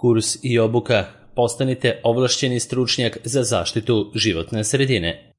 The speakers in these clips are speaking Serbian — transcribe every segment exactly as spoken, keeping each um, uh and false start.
Kurs i obuka. Postanite ovlašćeni stručnjak za zaštitu životne sredine.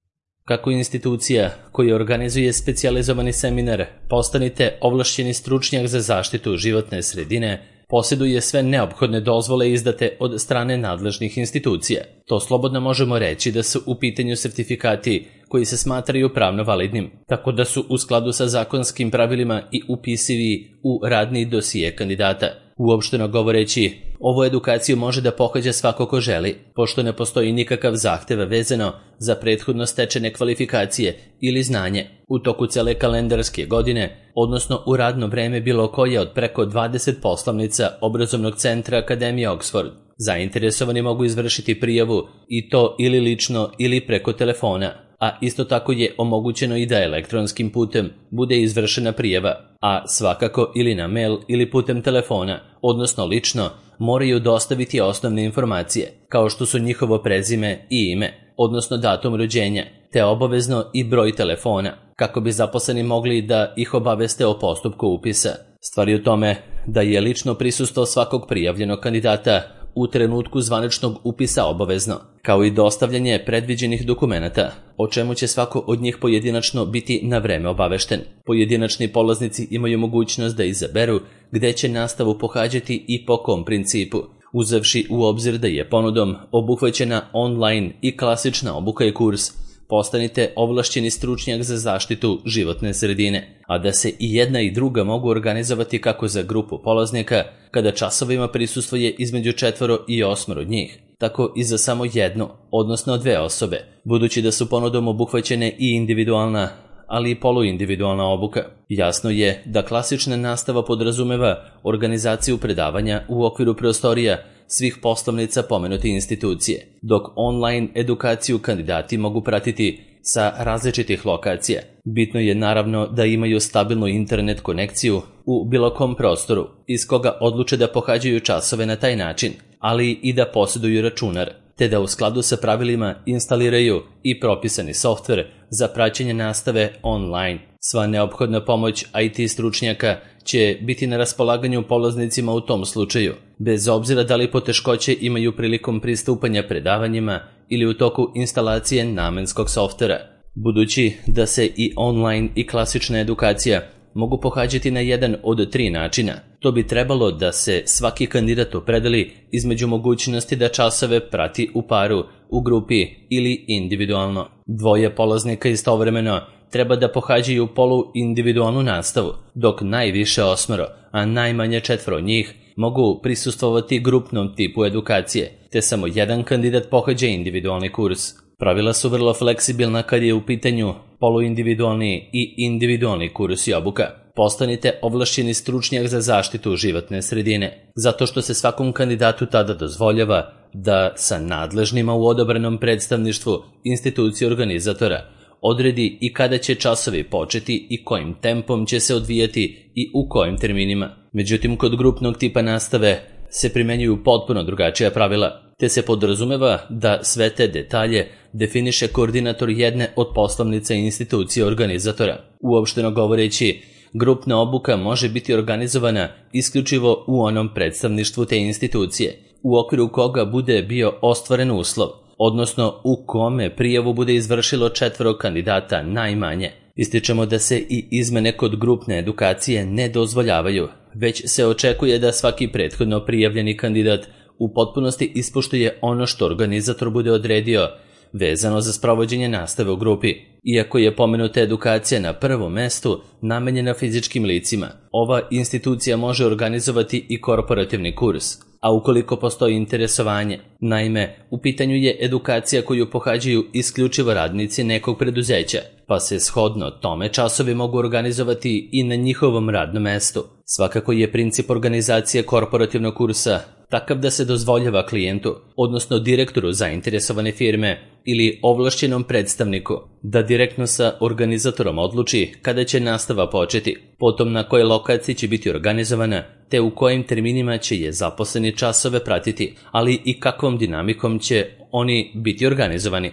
Kako institucija koja organizuje specijalizovani seminar Postanite ovlašćeni stručnjak za zaštitu životne sredine posjeduje sve neophodne dozvole izdate od strane nadležnih institucija. To slobodno možemo reći da su u pitanju sertifikati koji se smatraju pravno validnim, tako da su u skladu sa zakonskim pravilima i upisivi u radni dosije kandidata. Uopšteno govoreći, ovu edukaciju može da pohađa svako ko želi, pošto ne postoji nikakav zahtev vezano za prethodno stečene kvalifikacije ili znanje u toku cele kalendarske godine, odnosno u radno vreme bilo koje od preko dvadeset poslovnica obrazovnog centra Akademije Oxford. Zainteresovani mogu izvršiti prijavu i to ili lično ili preko telefona, a isto tako je omogućeno i da elektronskim putem bude izvršena prijava, a svakako ili na mail ili putem telefona, odnosno lično, moraju dostaviti osnovne informacije, kao što su njihovo prezime i ime, odnosno datum rođenja, te obavezno i broj telefona, kako bi zaposleni mogli da ih obaveste o postupku upisa. Stvar je u tome da je lično prisustvo svakog prijavljenog kandidata u trenutku zvaničnog upisa obavezno, kao i dostavljanje predviđenih dokumenata, o čemu će svako od njih pojedinačno biti na vreme obavešten. Pojedinačni polaznici imaju mogućnost da izaberu gde će nastavu pohađati i po kom principu, uzevši u obzir da je ponudom obuhvaćena online i klasična obuka i kurs Postanite ovlašćeni stručnjak za zaštitu životne sredine, a da se i jedna i druga mogu organizovati kako za grupu polaznika, kada časovima prisustvuje između četvoro i osmoro njih, tako i za samo jednu, odnosno dve osobe, budući da su ponudom obuhvaćene i individualna, ali i poluindividualna obuka. Jasno je da klasična nastava podrazumeva organizaciju predavanja u okviru prostorija svih poslovnica pomenute institucije, dok online edukaciju kandidati mogu pratiti sa različitih lokacija. Bitno je naravno da imaju stabilnu internet konekciju u bilo kom prostoru, iz koga odluče da pohađaju časove na taj način, ali i da posjeduju računar, te da u skladu sa pravilima instaliraju i propisani softver za praćenje nastave online. Sva neophodna pomoć I T stručnjaka će biti na raspolaganju polaznicima u tom slučaju, bez obzira da li poteškoće imaju prilikom pristupanja predavanjima ili u toku instalacije namenskog softvera. Budući da se i online i klasična edukacija mogu pohađati na jedan od tri načina, to bi trebalo da se svaki kandidat opredeli između mogućnosti da časove prati u paru, u grupi ili individualno. Dvoje polaznika istovremeno treba da pohađaju polu-individualnu nastavu, dok najviše osmoro, a najmanje četvoro njih mogu prisustvovati grupnom tipu edukacije, te samo jedan kandidat pohađa individualni kurs. Pravila su vrlo fleksibilna kad je u pitanju poluindividualni i individualni kurs i obuka. Postanite ovlašćeni stručnjak za zaštitu životne sredine, zato što se svakom kandidatu tada dozvoljava da sa nadležnima u odobrenom predstavništvu institucije organizatora odredi i kada će časovi početi i kojim tempom će se odvijati i u kojim terminima. Međutim, kod grupnog tipa nastave se primenjuju potpuno drugačija pravila, te se podrazumeva da sve te detalje definiše koordinator jedne od poslovnica institucije organizatora. Uopšteno govoreći, grupna obuka može biti organizovana isključivo u onom predstavništvu te institucije, u okviru koga bude bio ostvaren uslov, odnosno u kome prijavu bude izvršilo četvoro kandidata najmanje. Ističemo da se i izmene kod grupne edukacije ne dozvoljavaju, već se očekuje da svaki prethodno prijavljeni kandidat u potpunosti ispoštuje ono što organizator bude odredio vezano za sprovođenje nastave u grupi. Iako je pomenuta edukacija na prvom mestu namenjena fizičkim licima, ova institucija može organizovati i korporativni kurs, a ukoliko postoji interesovanje. Naime, u pitanju je edukacija koju pohađaju isključivo radnici nekog preduzeća, pa se shodno tome časovi mogu organizovati i na njihovom radnom mestu. Svakako je princip organizacije korporativnog kursa takav da se dozvoljava klijentu, odnosno direktoru zainteresovane firme ili ovlašćenom predstavniku, da direktno sa organizatorom odluči kada će nastava početi, potom na kojoj lokaciji će biti organizovana, te u kojim terminima će je zaposleni časove pratiti, ali i kakvom dinamikom će oni biti organizovani.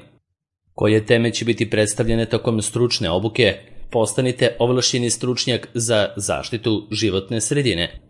Koje teme će biti predstavljene tokom stručne obuke, postanite ovlašćeni stručnjak za zaštitu životne sredine.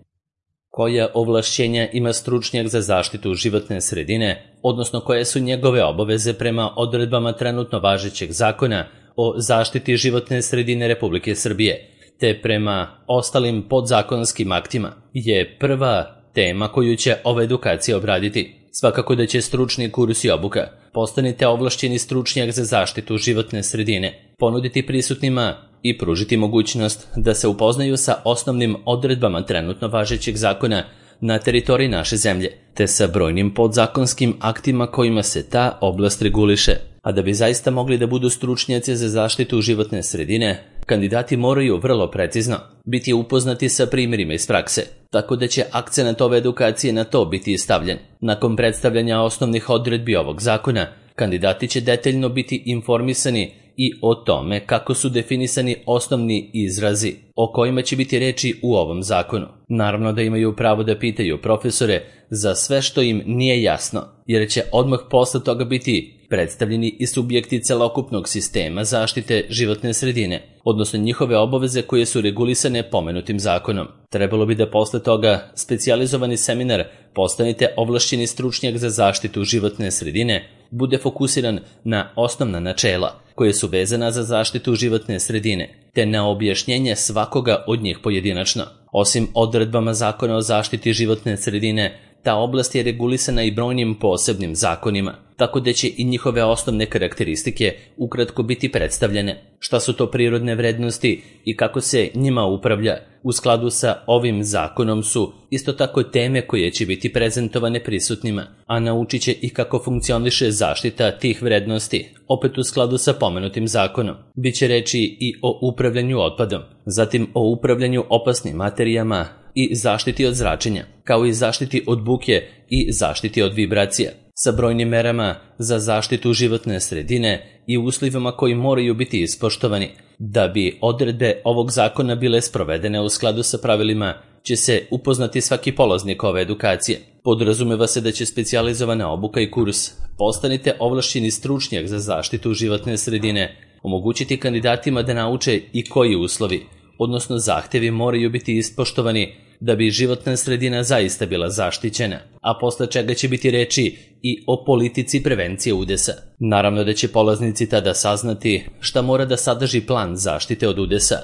koja ovlašćenja ima stručnjak za zaštitu životne sredine, odnosno koje su njegove obaveze prema odredbama trenutno važećeg zakona o zaštiti životne sredine Republike Srbije, te prema ostalim podzakonskim aktima, je prva tema koju će ova edukacija obraditi. Svakako da će stručni kurs i obuka Postanite ovlašćeni stručnjak za zaštitu životne sredine ponuditi prisutnima i pružiti mogućnost da se upoznaju sa osnovnim odredbama trenutno važećeg zakona na teritoriji naše zemlje, te sa brojnim podzakonskim aktima kojima se ta oblast reguliše. A da bi zaista mogli da budu stručnjaci za zaštitu životne sredine, kandidati moraju vrlo precizno biti upoznati sa primjerima iz prakse, tako da će akcenat ove edukacije na to biti stavljen. Nakon predstavljanja osnovnih odredbi ovog zakona, kandidati će detaljno biti informisani i o tome kako su definisani osnovni izrazi o kojima će biti reči u ovom zakonu. Naravno da imaju pravo da pitaju profesore za sve što im nije jasno, jer će odmah posle toga biti predstavljeni i subjekti celokupnog sistema zaštite životne sredine, odnosno njihove obaveze koje su regulisane pomenutim zakonom. Trebalo bi da posle toga specijalizovani seminar Postanite ovlašćeni stručnjak za zaštitu životne sredine bude fokusiran na osnovna načela koje su vezana za zaštitu životne sredine, te na objašnjenje svakoga od njih pojedinačno. Osim odredbama zakona o zaštiti životne sredine, ta oblast je regulisana i brojnim posebnim zakonima, tako da će i njihove osnovne karakteristike ukratko biti predstavljene. Šta su to prirodne vrednosti i kako se njima upravlja u skladu sa ovim zakonom su isto tako teme koje će biti prezentovane prisutnima, a naučit će i kako funkcioniše zaštita tih vrednosti, opet u skladu sa pomenutim zakonom. Biće reči i o upravljanju otpadom, zatim o upravljanju opasnim materijama i zaštiti od zračenja, kao i zaštiti od buke i zaštiti od vibracija, sa brojnim merama za zaštitu životne sredine i uslovima koji moraju biti ispoštovani. Da bi odredbe ovog zakona bile sprovedene u skladu sa pravilima, će se upoznati svaki polaznik ove edukacije. Podrazumeva se da će specijalizovana obuka i kurs Postanite ovlašćeni stručnjak za zaštitu životne sredine omogućiti kandidatima da nauče i koji uslovi, odnosno zahtevi moraju biti ispoštovani da bi životna sredina zaista bila zaštićena, a posle čega će biti reči i o politici prevencije udesa. Naravno da će polaznici tada saznati šta mora da sadrži plan zaštite od udesa,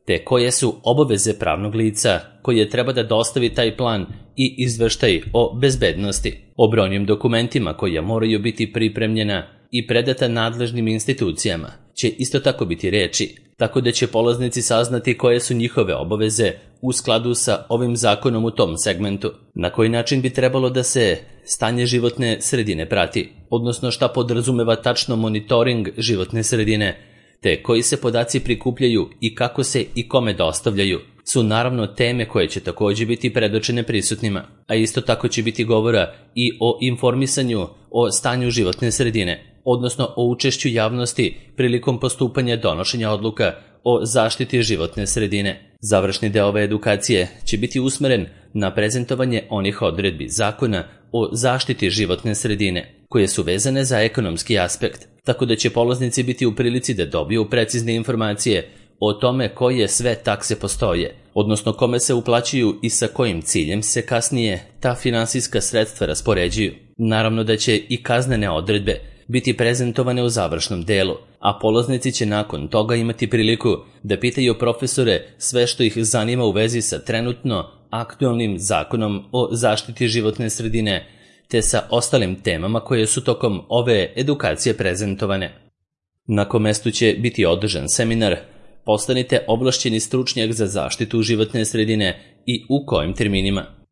te koje su obaveze pravnog lica koje treba da dostavi taj plan i izveštaj o bezbednosti, o brojnim dokumentima koja moraju biti pripremljena i predata nadležnim institucijama će isto tako biti reči, tako da će polaznici saznati koje su njihove obaveze u skladu sa ovim zakonom u tom segmentu, na koji način bi trebalo da se stanje životne sredine prati, odnosno šta podrazumeva tačno monitoring životne sredine, te koji se podaci prikupljaju i kako se i kome dostavljaju, su naravno teme koje će također biti predočene prisutnima, a isto tako će biti govora i o informisanju o stanju životne sredine, odnosno o učešću javnosti prilikom postupanja donošenja odluka o zaštiti životne sredine. Završni deo ove edukacije će biti usmeren na prezentovanje onih odredbi zakona o zaštiti životne sredine, koje su vezane za ekonomski aspekt, tako da će polaznici biti u prilici da dobiju precizne informacije o tome koje sve takse postoje, odnosno kome se uplaćuju i sa kojim ciljem se kasnije ta finansijska sredstva raspoređuju. Naravno da će i kaznene odredbe biti prezentovane u završnom delu, a polaznici će nakon toga imati priliku da pitaju profesore sve što ih zanima u vezi sa trenutno aktualnim zakonom o zaštiti životne sredine, te sa ostalim temama koje su tokom ove edukacije prezentovane. Na kom mestu će biti održan seminar Postanite ovlašćeni stručnjak za zaštitu životne sredine i u kojim terminima.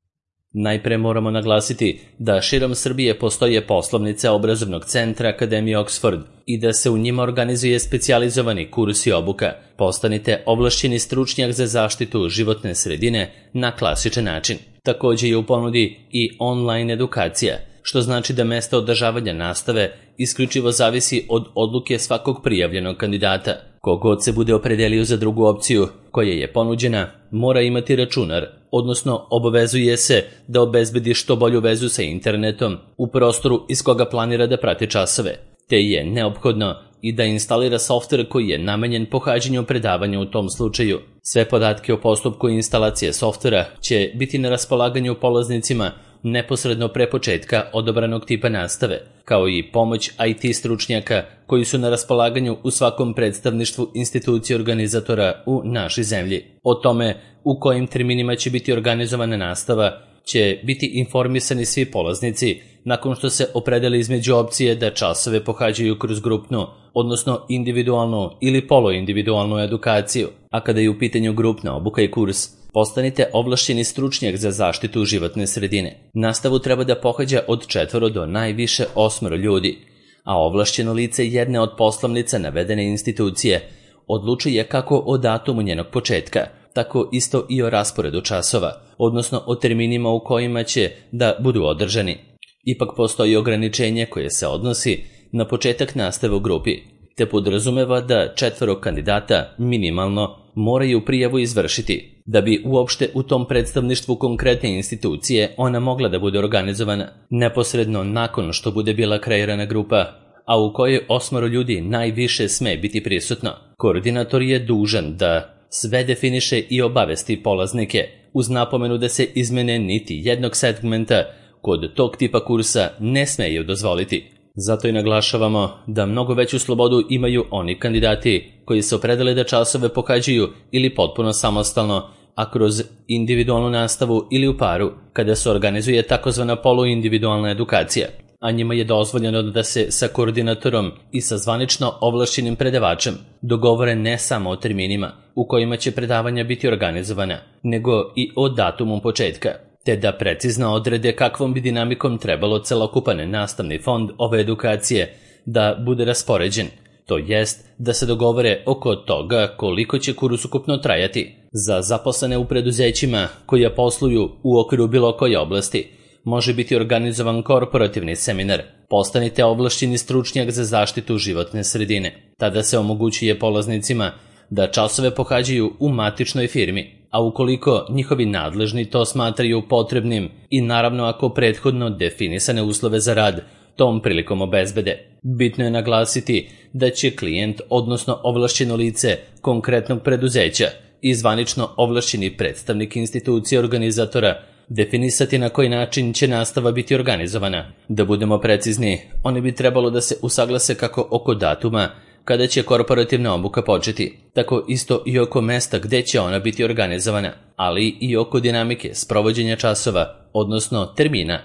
Najpre moramo naglasiti da širom Srbije postoje poslovnice obrazovnog centra Akademije Oxford i da se u njima organizuje specijalizovani kurs i obuka Postanite ovlašćeni stručnjak za zaštitu životne sredine na klasičan način. Također je u ponudi i online edukacija, što znači da mesto održavanja nastave isključivo zavisi od odluke svakog prijavljenog kandidata. Kogod se bude opredelio za drugu opciju koja je ponuđena, mora imati računar, odnosno obavezuje se da obezbedi što bolju vezu sa internetom u prostoru iz koga planira da prati časove, te je neophodno i da instalira softver koji je namenjen pohađanju predavanja u tom slučaju. Sve podatke o postupku instalacije softvera će biti na raspolaganju polaznicima neposredno pre početka odabranog tipa nastave, kao i pomoć I T stručnjaka koji su na raspolaganju u svakom predstavništvu institucije organizatora u našoj zemlji. O tome u kojim terminima će biti organizovana nastava će biti informisani svi polaznici nakon što se opredele između opcije da časove pohađaju kroz grupnu, odnosno individualnu ili poluindividualnu edukaciju, a kada je u pitanju grupna obuka i kurs, postanite ovlašćeni stručnjak za zaštitu životne sredine. Nastavu treba da pohađa od četvoro do najviše osmoro ljudi, a ovlašćeno lice jedne od poslovnica navedene institucije odlučuje kako o datumu njenog početka, tako isto i o rasporedu časova, odnosno o terminima u kojima će da budu održani. Ipak postoji ograničenje koje se odnosi na početak nastave u grupi, te podrazumeva da četvoro kandidata minimalno moraju prijavu izvršiti, da bi uopšte u tom predstavništvu konkretne institucije ona mogla da bude organizovana neposredno nakon što bude bila kreirana grupa, a u kojoj osmoro ljudi najviše sme biti prisutno. Koordinator je dužan da sve definiše i obavesti polaznike, uz napomenu da se izmene niti jednog segmenta kod tog tipa kursa ne smeju dozvoliti. Zato i naglašavamo da mnogo veću slobodu imaju oni kandidati koji se opredele da časove pohađaju ili potpuno samostalno, a kroz individualnu nastavu ili u paru, kada se organizuje takozvana poluindividualna edukacija, a njima je dozvoljeno da se sa koordinatorom i sa zvanično ovlašćenim predavačem dogovore ne samo o terminima u kojima će predavanja biti organizovana, nego i o datumu početka, te da precizno odrede kakvom bi dinamikom trebalo celokupan nastavni fond ove edukacije da bude raspoređen, to jest da se dogovore oko toga koliko će kurs ukupno trajati. Za zaposlene u preduzećima koja posluju u okviru bilo koje oblasti može biti organizovan korporativni seminar. Postanite ovlašćeni stručnjak za zaštitu životne sredine. Tada se omogućuje polaznicima da časove pohađaju u matičnoj firmi, a ukoliko njihovi nadležni to smatraju potrebnim i naravno ako prethodno definisane uslove za rad tom prilikom obezbede. Bitno je naglasiti da će klijent, odnosno ovlašćeno lice konkretnog preduzeća i zvanično ovlašćeni predstavnik institucije organizatora definisati na koji način će nastava biti organizovana. Da budemo precizni, oni bi trebalo da se usaglase kako oko datuma kada će korporativna obuka početi, tako isto i oko mesta gde će ona biti organizovana, ali i oko dinamike sprovođenja časova, odnosno termina.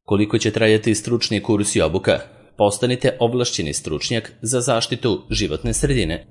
Koliko će trajati stručni kurs i obuka? Postanite ovlašćeni stručnjak za zaštitu životne sredine.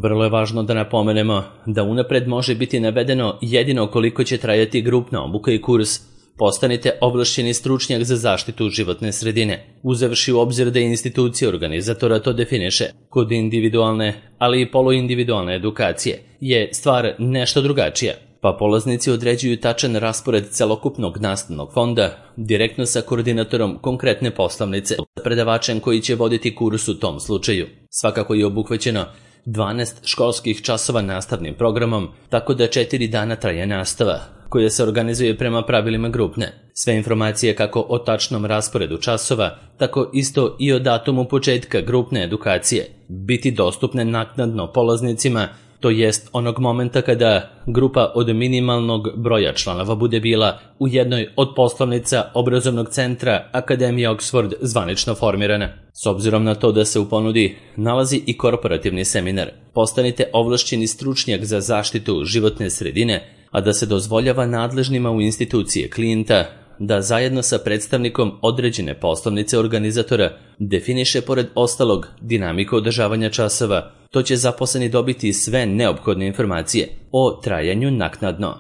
Vrlo je važno da napomenemo da unapred može biti navedeno jedino koliko će trajati grupna obuka i kurs. Postanite ovlašćeni stručnjak za zaštitu životne sredine, uzevši u obzir da institucija organizatora to definiše. Kod individualne, ali i poluindividualne edukacije je stvar nešto drugačija, pa polaznici određuju tačan raspored celokupnog nastavnog fonda direktno sa koordinatorom konkretne poslovnice, predavačem koji će voditi kurs u tom slučaju. Svakako je obuhvaćeno dvanaest školskih časova nastavnim programom, tako da četiri dana traje nastava, koja se organizuje prema pravilima grupne. Sve informacije kako o tačnom rasporedu časova, tako isto i o datumu početka grupne edukacije, biti dostupne naknadno polaznicima, to jest onog momenta kada grupa od minimalnog broja članova bude bila u jednoj od poslovnica obrazovnog centra Akademije Oxford zvanično formirana. S obzirom na to da se u ponudi nalazi i korporativni seminar, postanite ovlašćeni stručnjak za zaštitu životne sredine, a da se dozvoljava nadležnima u institucije klijenta da zajedno sa predstavnikom određene poslovnice organizatora definiše pored ostalog dinamiku održavanja časova, to će zaposleni dobiti sve neophodne informacije o trajanju naknadno.